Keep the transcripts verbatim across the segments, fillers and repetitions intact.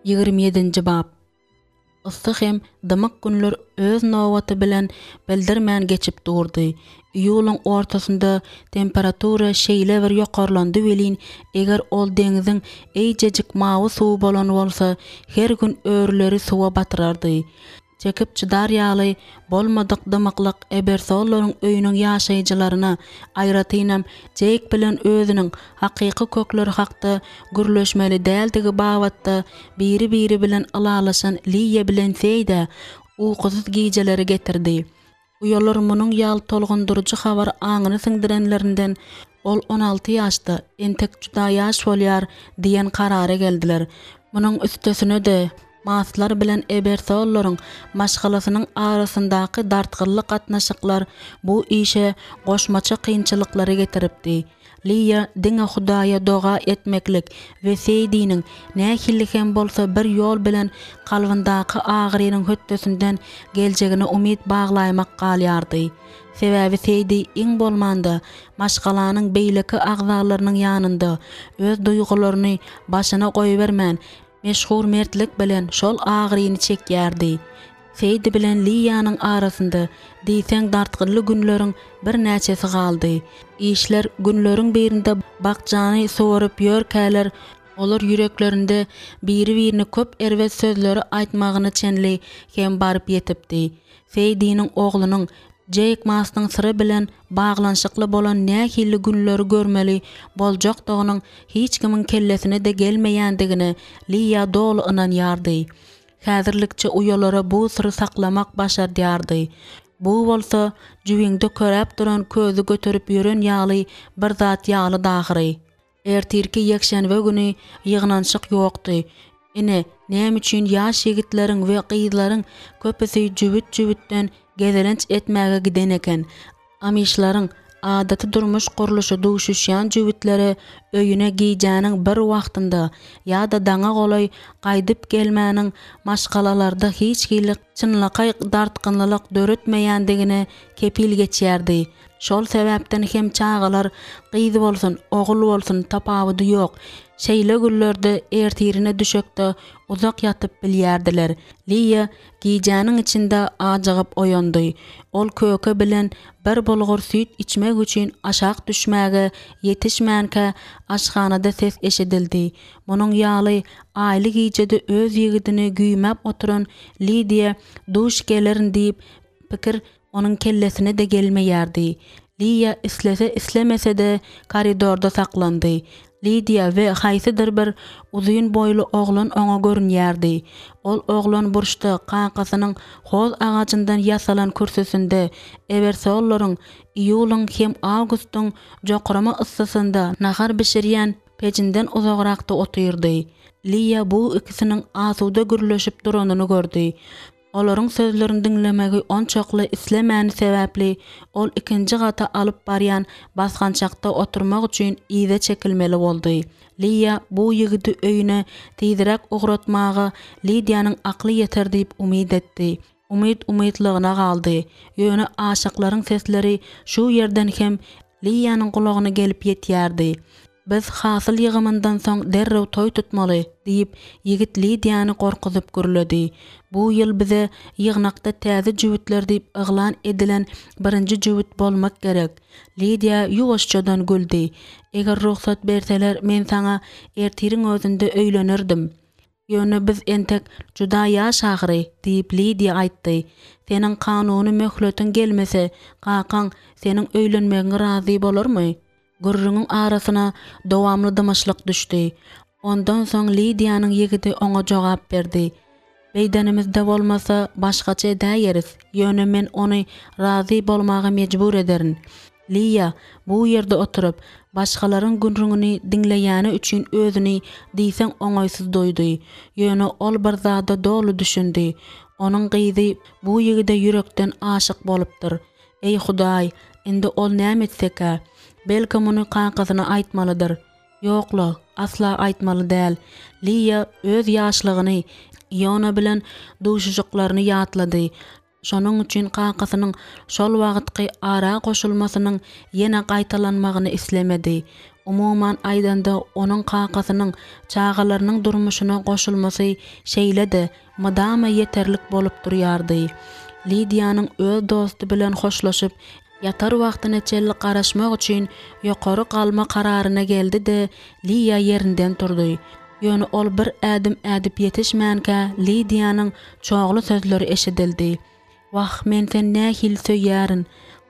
Ýigrimi ýedinji bap. Yssy hem dymyk günler öz nobaty bilen bildirmän geçip durdy. Iýulyň ortasynda temperatura şeýle bir ýokarlandy welin, eger ol deňziň eýjejik mawy suwy bolan bolsa, her gün örüleri suwa batyrardy. Çekip çydar ýaly bolmadyk dymyklyk Ebersollaryň öýüniň ýaşaýjylaryna, aýratynam, Jeýk bilen özüniň hakyky kökleri hakda gürleşmeli däldigi babatda biri-biri bilen ylalaşan Liýa bilen Seýdä ukusyz gijeleri getirdi. Uýalar munuň ýaly tolgundyryjy habary aňyna siňdirenlerinden, ol on alty ýaşda, entek juda ýaş bolýar diýen karara geldiler. Munuň üstesine-de, Maslar bilen Ebersollaryň maşgalasynyň arasyndaky dartgynly gatnaşyklar bu işe goşmaça kynçylyklary getiripdi. Liýa diňe Hudaýa doga etmeklik we Seýdiniň nähili hem bolsa bir ýol bilen kalbyndaky agyrynyň hötdesinden geljegine umyt baglaýmak galýardy. Sebäbi Seýdi iň bolmanda maşgalanyň beýleki agzalarynyň ýanynda öz duýgularyny başyna goýbermän, meşhur mertlik bilen şol agyryny çekýärdi. Seýdi bilen Liýanyň arasynda diýseň dartgynly günleriň birnäçesi galdy. Işler günleriň birinde bakjany suwaryp ýörkäler, olar ýüreklerinde biri-birine köp erbet sözleri aýtmagyna çenli hem baryp ýetipdi. Seýdiniň oglunyň Jeýk Mastyň syry bilen baglanyşykly bolan nähili günleri görmeli boljakdygynyň hiç kimiň kellesine-de gelmeýändigine Liýa doly ynanýardy. Häzirlikçe uýalara bu syry saklamak başardýardy. Bu bolsa jübiňde köräp duran közi göterip ýören ýaly bir zat ýalydy ahyry. Ertirki ýekşenbe güni ýygnanyşyk ýokdy. Ine, näme üçin ýaş ýigitleriň we gyzlaryň köpüsi jübüt-jübütden gezelenç etmäge giden eken. Amişleriň adaty durmuş gurluşy duşuşýan jübütlere öýüne gijäniň bir wagtynda ýa-da daňa golaý gaýdyp gelmäniň maşgalalarda hiç hili çynlakaý dartgynlylyk döretmeýändigine kepil geçýärdi. Şol sebäpden hem çagalar, gyz bolsun, ogul bolsun, tapawudy ýok, şeýle günlerde ertirine düşekde uzak ýatyp bilýärdiler. Liýa gijäniň içinde ajygyp oýandy. Ol köke bilen bir bulgur süýt içmek üçin aşak düşmäge ýetişmänkä aşhanada ses eşidildi. Munuň ýaly aýly gijede öz ýigidini güýmäp oturan Lidiýa duş gelerin diýip pikir Onuň kellesine-de gelmeýärdi. Liýa islese-islemese-de koridorda saklandy. Lidiýa we haýsydyr bir uzyn boýly oglan oňa görünýärdi. Ol oglan burçda kakasynyň hoz agajyndan ýasalan kürsüsinde Ebersollaryň iýulyň hem awgustyň jokrama yssysynda nahar bişirýän pejinden uzagrakda otyrdy. Liýa bu ikisiniň asuda gürleşip duranyny gördi. Olaryň sözlerini diňlemegi onçakly islemäni sebäpli, ol ikinji gata alyp barýan basgançakda oturmak üçin yza çekilmeli boldy. Liýa bu ýigidi öýüne tizräk ugratmaga Lidiýanyň akly ýeter diýip umyt etdi. Umyt umytlygyna galdy. Ýöne aşyklaryň sesleri şu ýerden hem Liýanyň gulagyna gelip ýetýärdi. Biz hasyl ýygymyndan soň derrew toý tutmaly, diýip, ýigit Lidiýany gorkuzyp gürledi. Bu ýyl bize ýygnakda täze jübütler diýip yglan edilen birinji jübüt bolmak gerek. Lidiýa ýuwaşjadan güldi. Eger rugsat berseler, men saňa ertiriň özünde öýlenerdim. Ýöne biz entek juda ýaş ahyry, diýip, Lidiýa aýtdy. Seniň kanuny möhletiň gelmese, kakaň seniň öýlenmegiňe razy bolarmy? Gürrüňiň arasyna dowamly dymyşlyk düşdi. Ondan soň Lidiýanyň ýigidi oňa jogap berdi. Beýdenimizde bolmasa, başgaça edäýeris, ýöne men ony razy bolmaga mejbur ederin. Liýa bu ýerde oturyp, başgalaryň gürrüňini diňleýäni üçin özüni diýseň oňaýsyz duýdy. Ýöne ol bir zada doly düşündi. Onuň gyzy bu ýigide ýürekden aşyk bolupdyr. Eý, Hudaý, indi ol näme etsekä? Belki muny kakasyna aýtmalydyr. Ýok-la, asla aýtmaly däl. Liýa öz ýaşlygyny, Iona bilen duşuşyklaryny ýatlady. Şonuň üçin kakasynyň şol wagtky ara goşulmasynyň ýene gaýtalanmagyny islemedi. Umuman aýdanda, onuň kakasynyň çagalarynyň durmuşyna goşulmasy şeýle-de mydama ýeterlik bolup durýardy. Lidiýanyň öz dosty bilen hoşlaşyp, ýatar wagtyna çenli garaşmak üçin ýokary galma kararyna geldi-de, Liýa ýerinden turdy. Ýöne ol bir ädim ädip ýetişmänkä Lidiýanyň çogly sözleri eşidildi. Wah, men seni nähili söýýärin!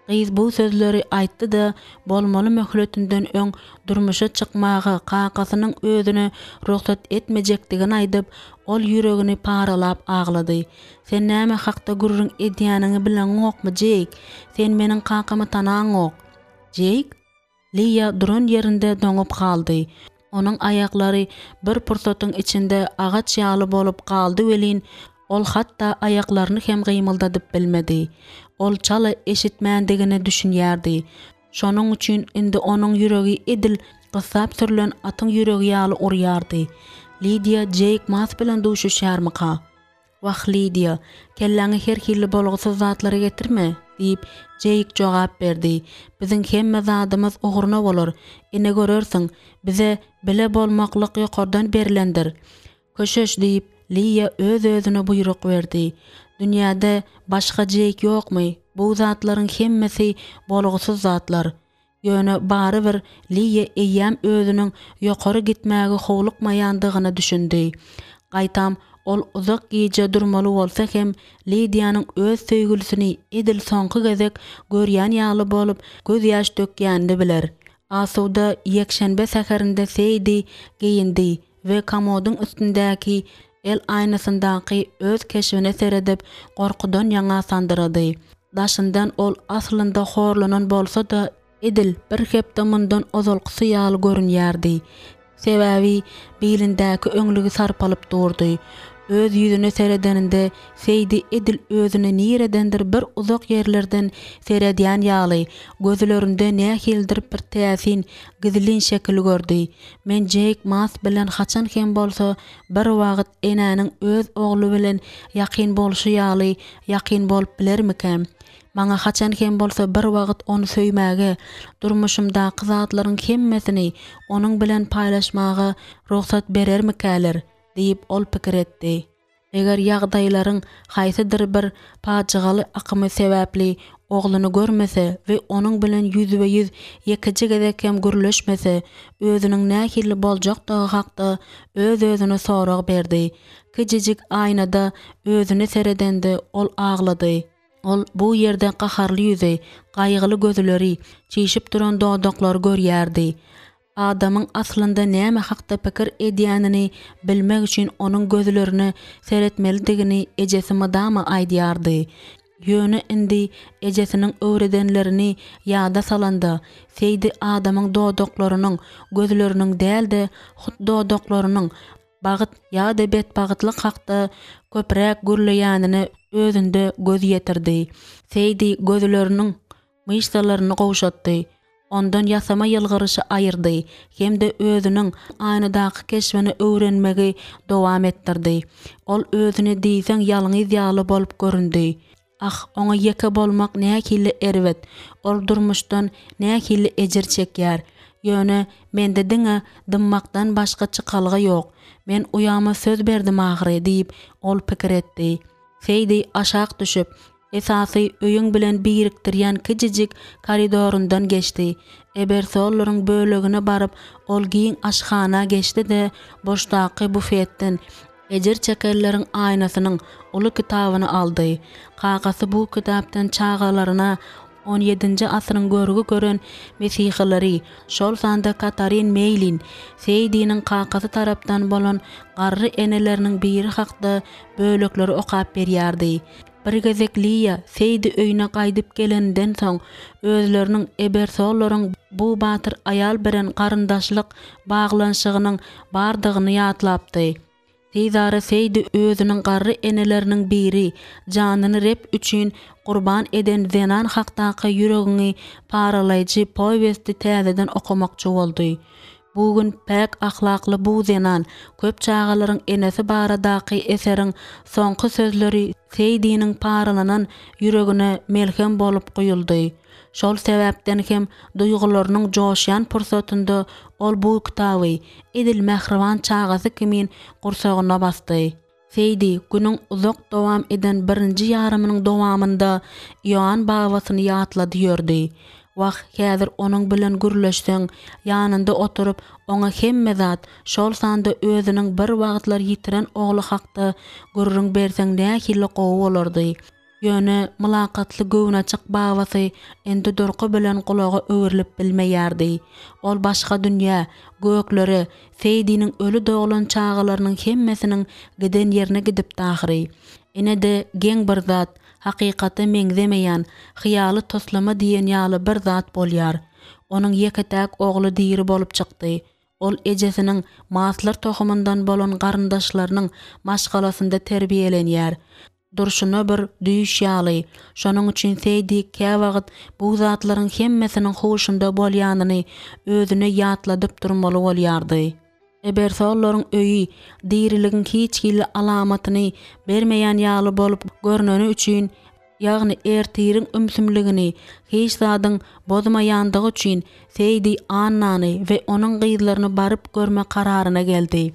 Gyz bu sözleri aýtdy-da, bolmaly möhletinden öň durmuşa çykmaga kakasynyň özüne rugsat etmejekdigini aýdyp, ol ýüregini paralap aglady. Sen näme hakda gürrüň edýäniňi bileňokmy, Jeýk? Sen meniň kakamy tanaňok. Jeýk? Liýa duran ýerinde doňup galdy. Onuň aýaklary bir pursatyň içinde agaç ýaly bolup galdy welin, ol hatda aýaklaryny hem gymyldadyp bilmedi. Ol çala eşitmändigine düşünýärdi. Şonuň üçin indi onuň ýüregi edil gyssap sürlen atyň ýüregi ýaly urýardy. Lidiýa Jeýk Mas bilen duşuşýarmyka? Wah, Lidiýa, kelläňe her hili bolgusyz zatlary getirme, diýip, Jeýk jogap berdi. Biziň hemme zadymyz ugruna bolar. Ine görersiň, bize bile bolmaklyk ýokardan berlendir. Köşeş, diýip, Liýa öz-özüne buýruk berdi. Dünýäde başga Jeýk ýokmy? Bu zatlaryň hemmesi bolgusyz zatlar. Ýöne barybir Liýa eýýäm özüniň ýokary gitmäge howlukmaýandygyna düşündi. Gaýtam, ol uzak gije durmaly bolsa hem, Lidiýanyň öz söýgülisini edil soňky gezek görýän ýaly bolup gözýaş dökýänini biler. Asuda ýekşenbe säherinde Seýdi geýindi we komodyň üstündäki el aýnasyndaky öz keşbine seredip, gorkudan ýaňa sandyrady. Daşyndan ol aslynda horlanan bolsa-da, edil bir hepde mundan ozalkysy ýaly görünýärdi. Sebäbi bilindäki öňlügi sarpalyp durdy. Öz ýüzüne seredeninde Seýdi edil özüne niredendir bir uzak ýerlerden seredýän ýaly, gözlerinde nähilidir bir täsin, gizlin şekil gördi. Men Jeýk Mas bilen haçan hem bolsa bir wagt enäniň öz ogly bilen ýakyn bolşy ýaly ýakyn bolup bilermikäm? Maňa haçan hem bolsa bir wagt ony söýmäge, durmuşymdaky zatlaryň hemmesini onuň bilen paýlaşmaga rugsat berermikäler? diýip, ol pikir etdi. Eger ýagdaýlaryň haýsydyr bir pajygaly akymy sebäpli ogluny görmese we onuň bilen ýüzbe-ýüz ýekeje gezek hem gürleşmese, özüniň nähili boljakdygy hakda öz-özüne sorag berdi. Kiçijik aýnada özüne seredende ol aglady. Ol bu ýerde gaharly ýüzi, gaýgyly gözleri, çişip duran dodaklary görýärdi. Adamyň aslynda näme hakda pikir edýänini bilmek üçin onuň gözlerine seretmelidigini ejesi mydama aýdýardy. Ýöne indi ejesiniň öwredenlerini ýada salanda, Seýdi adamyň dodaklarynyň, gözleriniň däl-de, hut dodaklarynyň bagt ýa-da betbagtlyk hakda köpräk gürleýänine özünde göz ýetirdi. Seýdi gözleriniň myşsalaryny gowşatdy, ondan ýasama ýylgyryşy aýyrdy hem-de özüniň aýnadaky keşbini öwrenmegi dowam etdirdi. Ol özüne diýseň ýalňyz ýaly bolup göründi. Ah, oňa ýeke bolmak nähili erbet, ol durmuşdan nähili ejir çekýär. Ýöne mende diňe dymmakdan başga çykalga ýok. Men uýama söz berdim ahyry diýip, ol pikir etdi. Seýdi aşak düşüp, Esasy öýüň bilen birikdirýän kiçijik koridoryndan geçdi. Ebersollaryň bölegine baryp, ol giň aşhana geçdi-de, burçdaky bufetden Ejir çekenleriň aýnasynyň uly kitabyny aldy. Kakasy bu kitapdan çagalaryna on ýedinji asyryň görgi gören mesihileri, şol sanda Katarin Meýlin, Seýdiniň kakasy tarapdan bolan garry eneleriniň biri hakda bölekleri okap berýärdi. Bir gezek Liýa Seýdi öýüne gaýdyp geleninden soň, özleriniň Ebersollaryň bu batyr aýal bilen garyndaşlyk baglanyşygynyň bardygyny ýatlapdy. Tizara Seýdi özüniň garry eneleriniň biri, janyny Reb üçin gurban eden zenan hakdaky ýüregiňi paralaýjy powesti täzeden okamakçy boldy. Bu gün päk ahlakly bu zenan, köp çagalaryň enesi baradaky eseriň soňky sözleri Seýdiniň paralanan ýüregine melhem bolup guýuldy. Şol sebäpden hem duýgularynyň joşýan pursatynda ol bu kitaby edil mähriban çagasy kimin gursagyna basdy. Seýdi günüň uzak dowam eden birinji ýarymynyň dowamynda Ioann babasyny ýatlady ýördi. Wah, häzir onuň bilen gürleşseň, ýanynda oturyp, oňa hemme zat, şol sanda özüniň bir wagtlar ýitiren ogly hakda gürrüň berseň nähili gowy bolardy. Ýöne mylakatly göwnaçyk babasy indi durky bilen gulaga öwrülip bilmeýärdi. Ol başga dünýä, göklere, Seýdiniň öli doglan çagalarynyň hemmesiniň giden ýerine gidipdi ahyry. Ine-de geň bir zat, hakykata meňzemeýän, hyýaly toslama diýen ýaly bir zat bolýar. Onuň ýeke-täk ogly diri bolup çykdy. Ol ejesiniň maslar tohumyndan bolan garyndaşlarynyň maşgalasynda terbiýelenýär. Durşuna bir düýş ýaly. Şonuň üçin Seýdi käwagt bu zatlaryň hemmesiniň huşunda bolýanyny özüne ýatladyp durmaly bolýardy. Ebersollaryň öýi diriligiň hiç hili alamatyny bermeýän ýaly bolup görneni üçin, ýagny ertiriň ümsümligini hiç zadyň bozmaýandygy üçin Seýdi Annany we onuň gyzlaryny baryp görme kararyna geldi.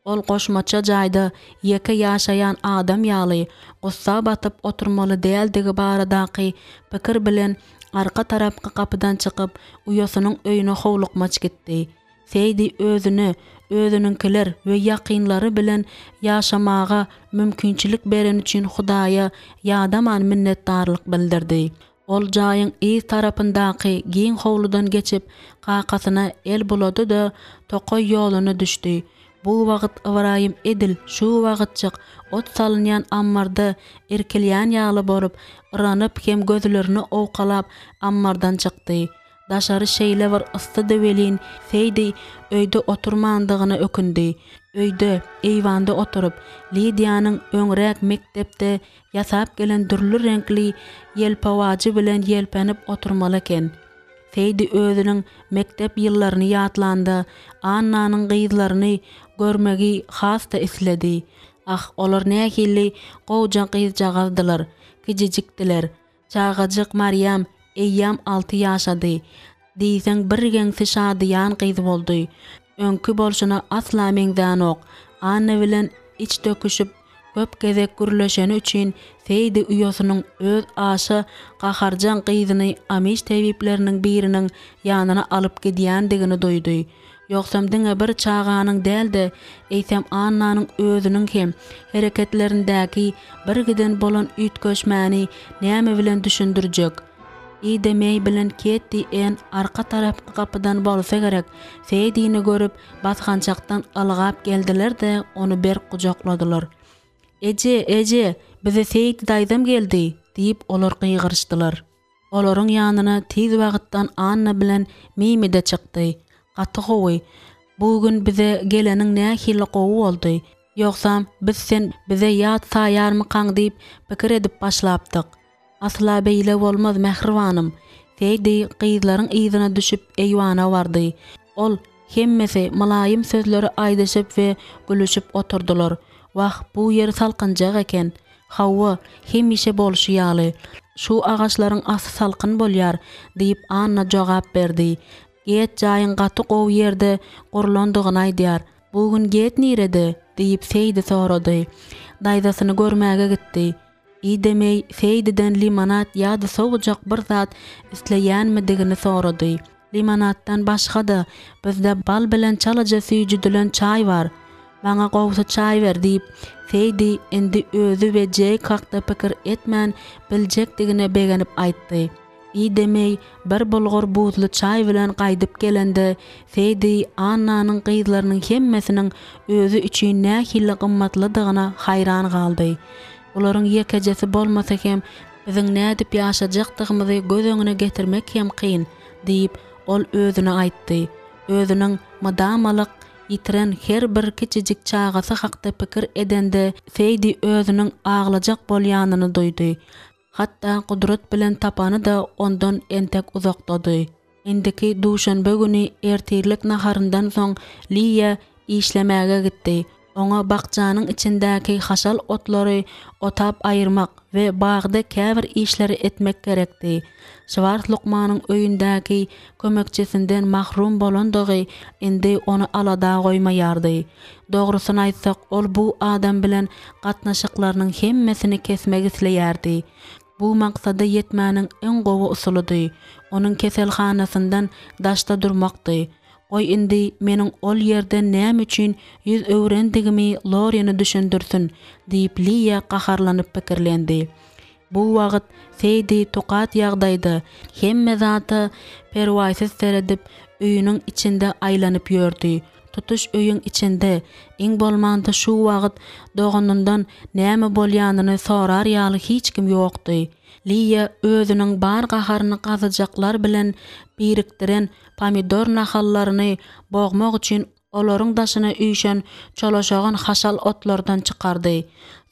Ol goşmaça jaýda ýeke ýaşaýan adam ýaly gussa batyp oturmaly däldigi baradaky pikir bilen arka tarapky gapydan çykyp, uýasynyň öýüne howlukmaç gitdi. Seýdi özüne, özüniňkiler we ýakynlary bilen ýaşamaga mümkinçilik bereni üçin Hudaýa ýadaman minnetdarlyk bildirdi. Ol jaýyň yz tarapyndaky giň howludan geçip, kakasyna el bulady-da, tokaý ýoluna düşdi. Bu wagt Ybraýym edil şu wagtjyk ot salynýan ammarda irkilýän ýaly bolup, yranyp hem gözlerini owkalap ammardan çykdy. Daşary şeýle bir yssydy welin, Seýdi öýde oturmandygyna ökündi. Öýde, eýwanda oturyp, Lidiýanyň öňräk mekdepde ýasap gelen dürli reňkli ýelpewajy bilen ýelpenip oturmaly eken. Seýdi özüniň mekdep ýyllaryny ýatlanda, Annanyň gyzlaryny görmegi has-da isledi. Ah, olar nähili gowja gyzjagazdylar, kijijikdiler. Çagajyk Marýam eýýäm alty ýaşady. Diýseň birgeňsi şadyýan gyz boldy. Öňki bolşuna asla meňzänok. Anna bilen iç döküşip, köp gezek gürleşeni üçin Seýdi uýasynyň öz aşa gaharjaň gyzyny amiş tebipleriniň biriniň ýanyna alyp gidýändigini duýdy. Ýogsam diňe bir çaganyň däl-de, eýsem Annanyň özüniň hem hereketlerindäki birgiden bolan üýtgeşmäni näme bilen düşündirjek? Ida Meý bilen Ketti Enn arka tarapky gapydan bolsa gerek, Seýdini görüp, basgançakdan ylgap geldiler-de, ony berk gujakladylar. Eje, eje, bize Seýdi daýzam geldi! diýip, olar gygyryşdylar. Olaryň ýanyna tiz wagtdan Anna bilen Mimi-de çykdy. Gaty gowy. Bu gün bize geleniň nähili gowy boldy. Ýogsam, biz sen bize ýat saýarmykaň diýip pikir edip başlapdyk. Asla beýle bolmaz, mähribanym. Seýdi gyzlaryň yzyna düşüp eýwana bardy. Ol hemmesi mylaýym sözleri aýdyşyp we gülüşip oturdylar. Wah, bu ýer salkynjak eken. Hawa, hemişe bolşy ýaly. Şu agaçlaryň asy salkyn bolýar, diýip, Anna jogap berdi. Get jaýyň gaty gowy ýerde gurlandygyny aýdýar. Bu gün Get nirede? diýip, Seýdi sorady. Daýzasyny görmäge gitdi. Ida Meý Seýdiden limonad ýa-da sowujak bir zat isleýänmidigini sorady. Limonaddan başga-da, bizde bal bilen çalaja süýjüdilen çaý bar. Maňa gowusy çaý ber, diýip, Seýdi indi özi we Jeýk hakda pikir etmän biljekdigine begenip aýtdy. Ida Meý bir bulgur buzly çaý bilen gaýdyp gelende, Seýdi Annanyň gyzlarynyň hemmesiniň özi üçin nähili gymmatlydygyna haýran galdy. Bularyň ýekejesi bolmasa hem biziň nädip ýaşajakdygymyzy göz öňüne getirmek hem kyn, diýip, ol özüne aýtdy. Özüniň mydamalyk ýitiren her bir kiçijik çagasy hakda pikir edende, Seýdi özüniň aglajak bolýanyny duýdy. Hatda gudrat bilen tapany-da ondan entek uzakdady. Indiki duşenbe güni ertirlik naharyndan soň Liýa işlemäge gitdi. Oňa bakjanyň içindäki haşal otlary otap aýyrmak we bagda käbir işleri etmek gerekdi. Şwars lukmanyň öýündäki kömekçisinden mahrum bolandygy indi ony alada goýmaýardy. Dogrusyny aýtsak, ol bu adam bilen gatnaşyklarynyň hemmesini kesmek isleýärdi. Bu maksada ýetmäniň iň gowy usulydy, onuň keselhanasyndan daşda durmakdy. Goý indi meniň ol ýerden näme üçin ýüz öwrendigimi Lorine düşündirsin, diýip Liýa gaharlanyp pikirlendi. Bu wagt Seýdi tukat ýagdaýda, hemme zada perwaýsyz seredip, öýüniň içinde aýlanyp ýördi. Tutuş öýüň içinde, iň bolmanda şu wagt doganyndan näme bolýanyny sorar ýaly hiç kim ýokdy. Liýa özüniň bar gaharyny gazyjaklar bilen birikdiren pomidor nahallaryny bogmak üçin olaryň daşyna üýşen çolaşagan haşal otlardan çykardy.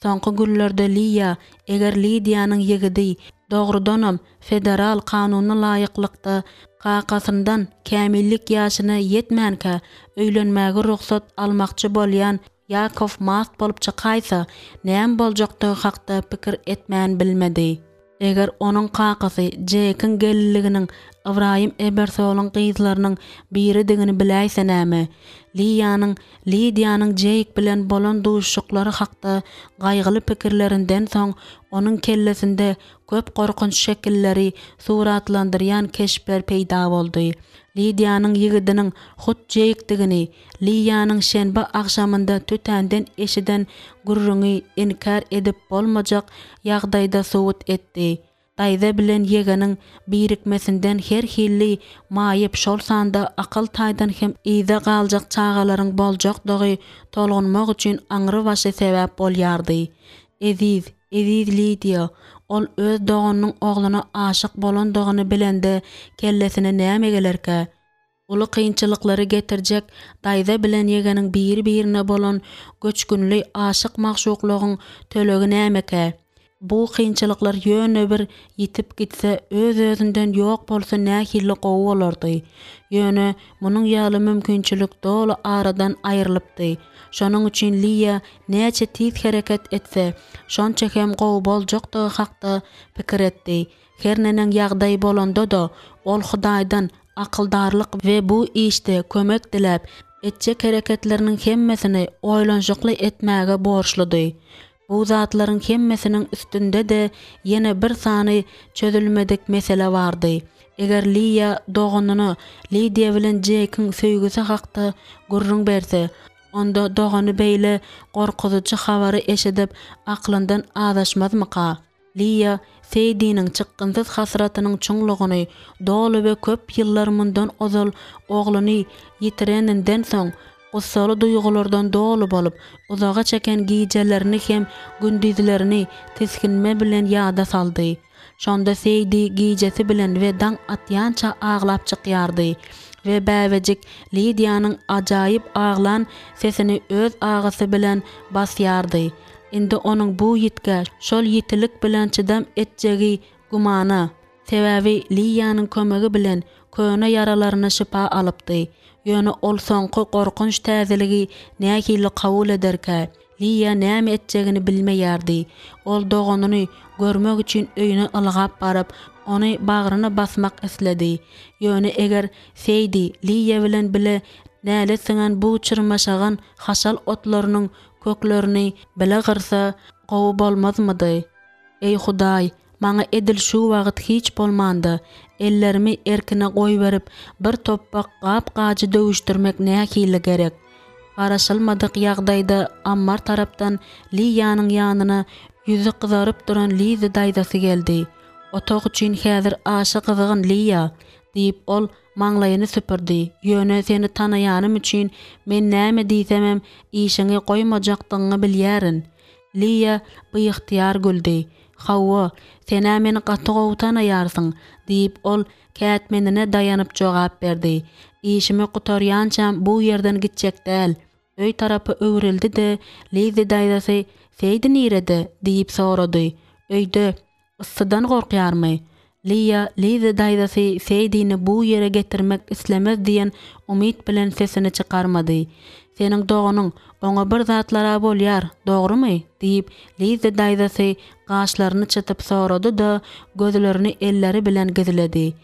Soňky günlerde Liýa, eger Lidiýanyň ýigidi, dogrudanam, federal kanuna laýyklykda kakasyndan kämillik ýaşyna ýetmänkä öýlenmäge rugsat almakçy bolýan Ýakow mast bolup çykaýsa, näme boljakdygy hakda pikir etmän bilmedi. Eger onuň kakasy Jekiň gelinliginiň Ybraýym Ebersolyň gyzlarynyň biridigini biläýse näme? Liýanyň Lidiýanyň Jeýk bilen bolan duşuşyklary hakda gaýgyly pikirlerinden soň onuň kellesinde köp gorkunç şekilleri suratlandyrýan keşpler peýda boldy. Lidiýanyň ýigidiniň hut Jeýkdigini Liýanyň şenbe agşamynda tötänden eşiden gürrüňi inkär edip bolmajak ýagdaýda subut etdi. Daýza bilen ýegeniň birikmesinden her hilli maýyp, şol sanda akyl taýdan hem yza galjak çagalaryň boljakdygy tolgunmak üçin aňrybaşy sebäp bolýardy. Eziz, eziz Lidiýa, ol öz doganynyň ogluna aşyk bolandygyny bilende kellesine näme gelerkä? Uly kynçylyklary getirjek daýza bilen ýegeniň biri-birine bolan göçgünli aşyk-magşuklygyň tölegi nämekä? Bu kynçylyklar ýöne bir ýitip gitse, öz-özünden ýok bolsa nähili gowy bolardy. Ýöne munuň ýaly mümkinçilik doly aradan aýrylypdy. Şonuň üçin Liýa näçe tiz hereket etse, şonça hem gowy boljakdygy hakda pikir etdi. Her neneň ýagdaý bolanda-da, ol Hudaýdan akyldarlyk we bu işde kömek diläp, etjek hereketleriniň hemmesini oýlanyşykly etmäge borçludy. Bu zatlaryň hemmesiniň üstünde-de ýene bir sany çözülmedik mesele bardy. Eger Liýa doganyna Lidiýa bilen Jekiň söýgüsi hakda gürrüň berse, onda dogany beýle gorkuzyjy habary eşidip aklyndan azaşmazmyka? Liýa Seýdiniň çykgynsyz hasratynyň çuňlugyny doly we köp ýyllar mundan ozal ogluny ýitireninden soň, gussaly duýgulardan doly bolup, uzaga çeken gijelerini hem gündizlerini tisginme bilen ýada saldy. Şonda Seýdi gijesi bilen we daň atýança aglap çykýardy we bäbejik Lidiýanyň ajaýyp aglan sesini öz agysy bilen basýardy. Indi onuň bu ýitgä şol ýitilik bilen çydam etjegi gümana. Sebäbi Liýanyň kömegi bilen köne ýaralaryna şypa alypdy. Ýöne ol soňky gorkunç täzeligi nähili kabul ederkä? Liýa näme etjegini bilmeýärdi. Ol doganyny görmek üçin öýüne ylgap baryp, ony bagryna basmak isledi. Ýöne eger Seýdi Liýa bilen bile nälet siňen bu çyrmaşagan haşal otlarynyň köklerini bile gyrsa gowy bolmazmydy? Eý Hudaý, maňa edil şu wagt hiç bolmanda, ellerimi erkine goýberip, bir topbak gap-gajy döwüşdirmek nähili gerek? Garaşylmadyk ýagdaýda ammar tarapdan Liýanyň ýanyna ýüzi gyzaryp duran Lizi daýzasy geldi. Otag üçin häzir aşa gyzgyn, Liýa, diýip, ol Maňlaýyny süpürdi. Ýöne seni tanaýanym üçin men näme diýsemem işiňi goýmajakdygyňy bilýärin. Liýa biygtyýar güldi. Hawa, sen-ä meni gaty gowy tanaýarsyň, diýip, ol kätmenine daýanyp jogap berdi. Işimi gutarýançam bu ýerden gitjek däl. Öý tarapa öwrüldi-de, Lizi daýzasy, Seýdi nirede? diýip sorady. Öýde. Yssydan gorkýarmy? Liýa Lizzi daýzasy Seýdini bu ýere getirmek islemez diýen umyt bilen sesini çykarmady. Seniň doganyň, oňa bir zatlar-a bolýar, dogrumy? diýip, Lizzi daýzasy gaşlaryny çytyp sorady-da, gözlerini elleri bilen gizledi.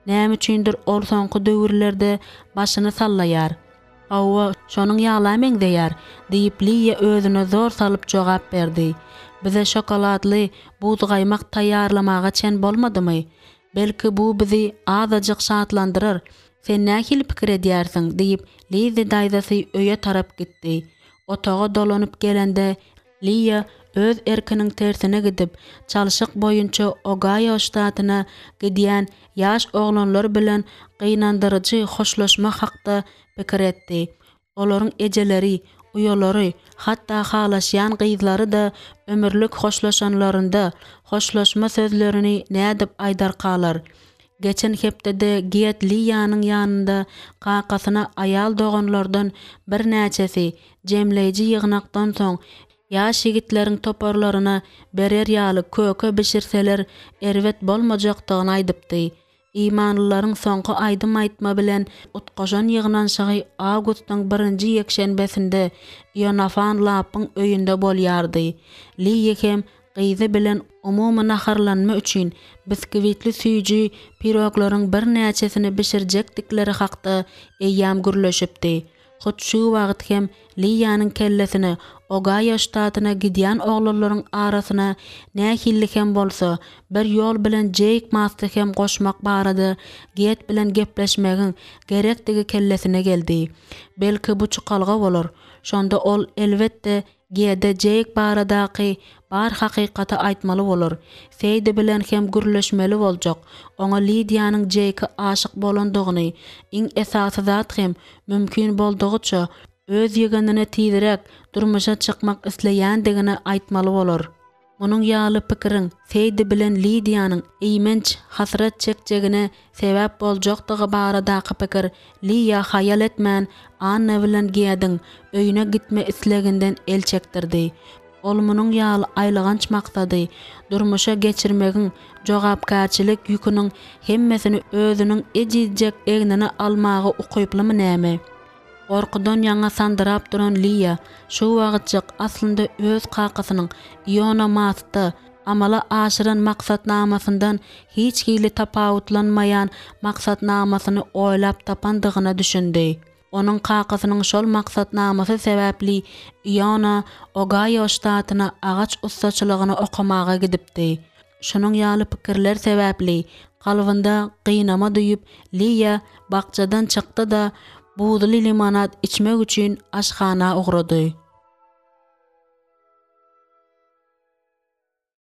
Näme üçindir ol soňky döwürlerde başyny sallaýar. Hawa, şonuň ýala meňzeýär, diýip, Liýa özüne zor salyp jogap berdi. Bize şokoladly buzgaýmak taýýarlamaga çen bolmadymy? Belki, bu bizi azajyk şatlandyrar. Sen nähili pikir edýärsiň? diýip, Lizzi daýzasy öýe tarap gitdi. Otaga dolanyp gelende, Liýa öz erkiniň tersine gidip, çalşyk boýunça Ogaýo ştatyna gidýän ýaş oglanlar bilen gynandyryjy hoşlaşma hakda pikir etdi. Olaryň ejeleri, uýalary, hatda halaşýan gyzlary-da ömürlik hoşlaşanlarynda, hoşlaşma sözlerini nädip aýdarkalar? Geçen hepdede Get Liýanyň ýanynda kakasyna aýal doganlardan birnäçesi jemleýji ýygnakdan soň ýaş ýigitleriň toparlaryna berer ýaly köke bişirseler erbet bolmajakdygyny aýdypdy. Imanlylaryň soňky aýdym aýtma bilen utgaşan ýygnanyşygy awgustyň birinji ýekşenbesinde Ionafan Lappyň öýünde bolýardy. Liýa hem gyzy bilen umumy naharlanma üçin biskwitli süýji piroglaryň birnäçesini bişirjekdikleri hakda eýýäm gürleşipdi. Hut şu wagt hem Liýanyň kellesine Ogaýo ştatyna gidýän oglanlaryň arasyna nähili hem bolsa bir ýol bilen Jeýk Masty hem goşmak barada Get bilen gepleşmegiň gerekdigi kellesine geldi. Belki bu çykalga bolar. Şonda ol, elbetde, G-de Jeýk baradaky bar hakykaty aýtmaly bolar. Seýdi bilen hem gürleşmeli boljak. Oňa Lidiýanyň Jeýke aşyk bolandygyny, iň esasy zat hem, mümkin boldugyça, öz ýegenine tizräk durmuşa çykmak isleýändigini aýtmaly bolar. Munuň ýaly pikiriň Seýdi bilen Lidiýanyň eýmenç hasrat çekjegine sebäp boljakdygy baradaky pikir Liýa haýal etmän Anna bilen Gediň öýüne gitme isleginden el çekdirdi. Ol munuň ýaly aýylganç maksady durmuşa geçirmegiň jogapkärçilik ýüküniň hemmesini özüniň ejizjek egnine almaga ukyplymy näme? Gorkudan ýaňa sandyrap duran Liýa şu wagtjyk aslynda öz kakasynyň Iona Mastda amala aşyran maksatnamasyndan hiç hili tapawutlanmaýan maksatnamasyny oýlap tapandygyna düşündi. Onuň kakasynyň şol maksatnamasy sebäpli Iona Ogaýo ştatyna agaç ussaçylygyny okamaga gidipdi. Şunuň ýaly pikirler sebäpli kalbynda gynama duýup, Liýa bakjadan çykdy-da, buzly limonad içmek üçin aşhana ugrady.